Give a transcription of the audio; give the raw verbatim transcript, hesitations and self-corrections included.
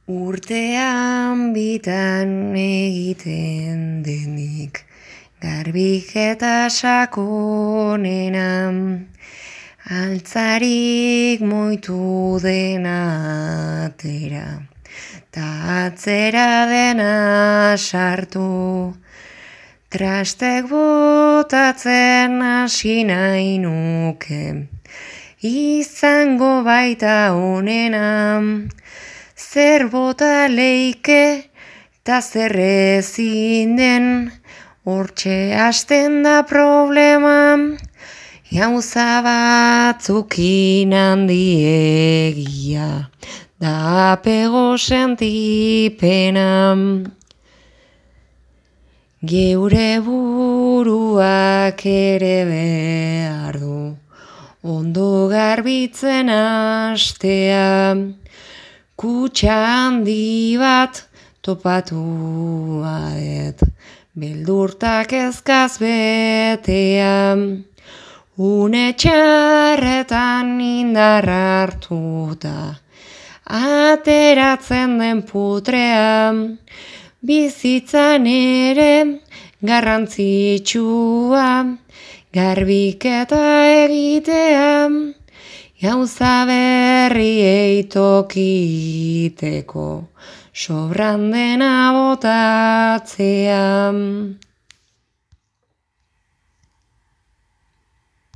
Urtean bitan egiten denik, garbiketa sakonena, altzarik moitu dena atera, ta atzera dena sartu, trastek botatzen hasi nahi nuke, izango baita onena, zer bota leike ta zer ezin den, hortxe hasten da problema, gauza batzukin handiegia, da apego sentipena. Geure buruak ere behar du, ondo garbitzen hastea, kutxa handi bat topatu adet, beldurtak ezkaz betea, une txarretan indar hartuta, ateratzen den putrea, bizitzan ere garrantzitsua, garbiketa egitea, gauza berriei tokiteko, sobran dena botatzea.